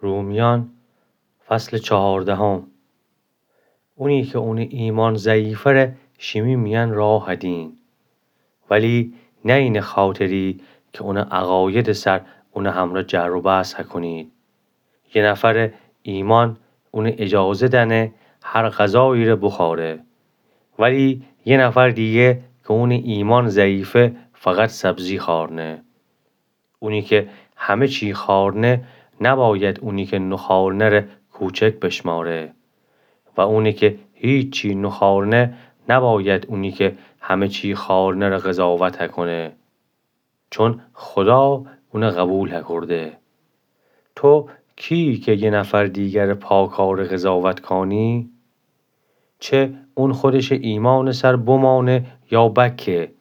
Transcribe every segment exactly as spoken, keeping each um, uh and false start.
رومیان، فصل چهاردهم. اونی که اونٚ ایمأن ضعیفه ره شیمی میأن راه هدین، ولی نه اینه خاطری که اونٚ عقایدٚ سر اونٚ همرأ جر و بحث هکونید. یه نفرٚ ایمأن اونه اجازه دأنه هر غذایی ره بوخوأره، ولی یه نفر دیگه که اونٚ ایمأن ضعیفه فقط سبزی خوأرنه. اونی که همه چی خوأرنه نباید اونی که نوخوأرنه ره کوچک بشمأره و اونی که هیچی نوخوأرنه نباید اونی که همه چی خوأرنه ره قضاوت هکونه، چون خودا اونه قوبیل هکورده. تو کیی که یه نفر دیگرٚ پاکأره قضاوت کانی؟ چه اون خودشٚ ایمأنٚ سر بمأنه یا بکه،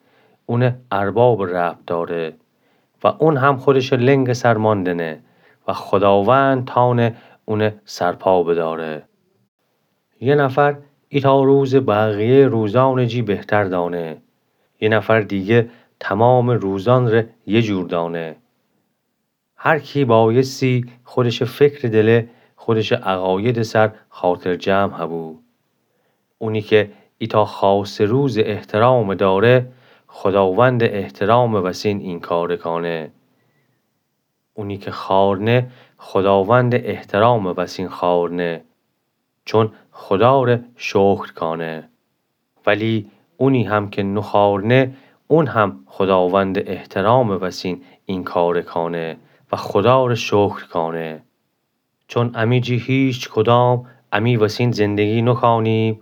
اونه اربابٚ ربط دأره و اون هم خودشٚ لنگٚ سر مأندنه و خوداوند تأنه اونه سرپا بدأره. یه نفر ایتأ روزٚ بقیه‌یٚ روزأنٚ جی بهتر دأنه، یه نفر دیگه تومامٚ روزأن ره یه جور دأنه. هر کی بأیستی خودشٚ فکرٚ دله، خودشٚ عقایدٚ سر خاطرجمع هبو. اونی که ایتأ خاصٚ روزٚ احترام دأره، خوداوندٚ احترامٚ وسین این کاره کأنه. اونی که خوأرنه، خوداوندٚ احترامٚ وسین خوأرنه، چون خودا ره شکر کأنه. ولی اونی هم که نوخوأرنه، اون هم خوداوندٚ احترامٚ وسین این کاره کأنه و خودا ره شکر کأنه. چون امی جی هیچ کدام امی وسین زندگی نوکأنیم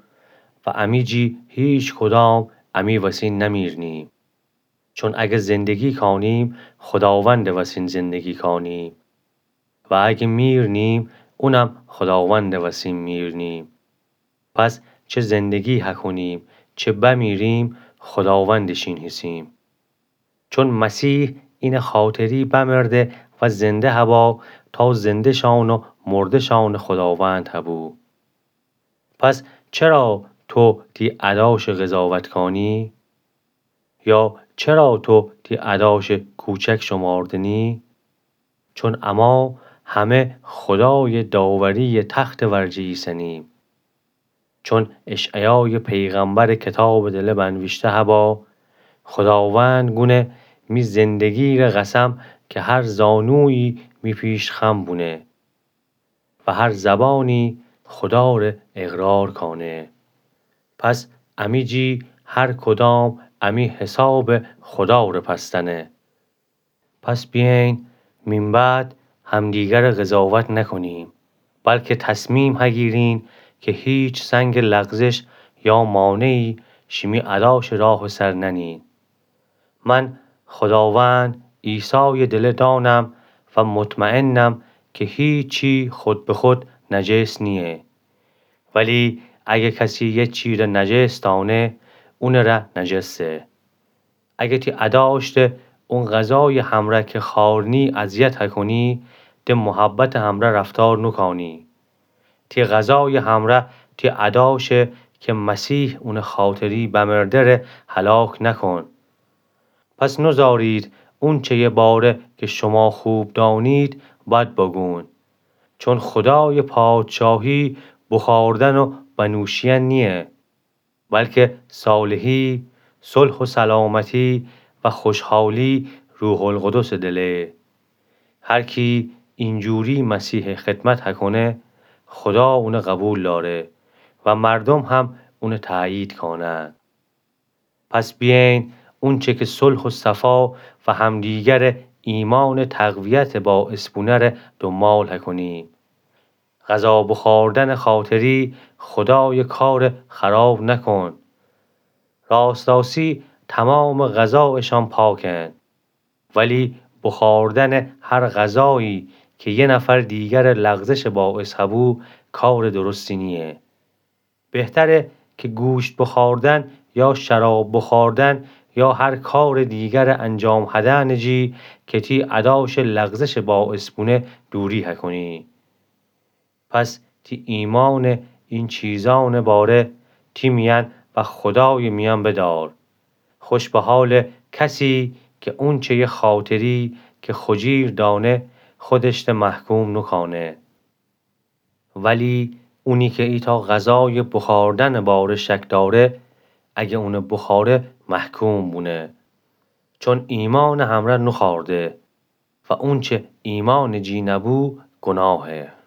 و امی جی هیچ کدام امی وسین نمیرنیم. چون اگه زندگی کأنیم، خوداوندٚ وسین زندگی کأنیم و اگه میرنیم، اونم خوداوندٚ وسین میرنیم. پس چه زندگی هکونیم، چه بمیریم، خوداوندٚ شین هیسیم. چون مسیح اینه خاطری بمرده و زنده هبا، تا زنده‌شأن و مرده‌شأنٚ خوداوند هبو. پس چرا تو تی ادأشٚ قضاوت کأنی؟ یا چرا تو تی ادأشٚ کوچک شماردنی؟ چون اما همه خودایٚ داوری‌یٚ تختٚ ورجه ایسنیم. چون اشعیایٚ پیغمبرٚ کتابٚ دله بنویشته هبا، خوداوند گونه: می زندگی ره قسم که هر زانویی می پیش خم بونه و هر زبانی خودا ره اقرار کأنه. پس امی جی هر کدام امی حسابٚ خودا ره پس دأنه. پس بیأیین مین بعد همدیگر ره قضاوت نکنیم، بلکه تصمیم هگیرین که هیچ سنگٚ لغزش یا مانعی شیمی ادأشٚ راهٚ سر ننین. من خوداوند عیسایٚ دله دأنم و مطمئنم که هیچی خود به خود نجس نییه. ولی اگه کسی یه چی ره نجس دأنه، اونٚ ره نجسه. اگه تی ادأشته اون غذایٚ همرأ که خوأرنی اذیت هکنی، ده محبتٚ همرأ رفتار نوکأنی. تی غذایٚ همرأ تی ادأشه که مسیح اونٚ خاطری بمرده ره هلاک نکن. پس نوذارید اونچهیٚ باره که شما خوب دأنید بد بگون. چون خودایٚ پادشاهی بخوردن و بنوشیدن نییه، بلکه صالحی، صلح و سلامتی و خوشحالی روح‌القدسٚ دله. هر کی اینجوری مسیح خدمت هکنه، خودا اونه قبول داره و مردم هم اونه تأیید کانه. پس بیأیین اونچه که صلح و صفا و همدیگرٚ ایمانٚ تقویتٚ باعث بونه ره دنبال هکنیم. غذا بخوردنٚ خاطری خودایٚ کارٚ خراب نکن. راست‌راستی تمامٚ غذا اشأن پاکن، ولی بخوردنٚ هر غذایی که یه نفر دیگرٚ لغزشٚ باعث هبو، کارٚ درستی نییه. بهتره که گوشت بخوردن یا شراب بخوردن یا هر کارٚ دیگرٚ انجام هدنٚ جی که تی ادأشٚ لغزشٚ باعث بونه دوری هکنی. پس تی ایمأنٚ این چیزأنٚ باره تی میأن و خودایٚ میأن بدار. خوش به حالٚ کسی که اونچهیٚ خاطری که خجیر دأنه، خودش ده محکوم نوکأنه. ولی اونی کی ایتأ غذایٚ بوخوردنٚ باره شک دأره، اگه اون بوخوره محکوم بونه، چون ایمأنٚ همرأ نوخوأرده و اونچه ایمأنٚ جی نبو گوناهه.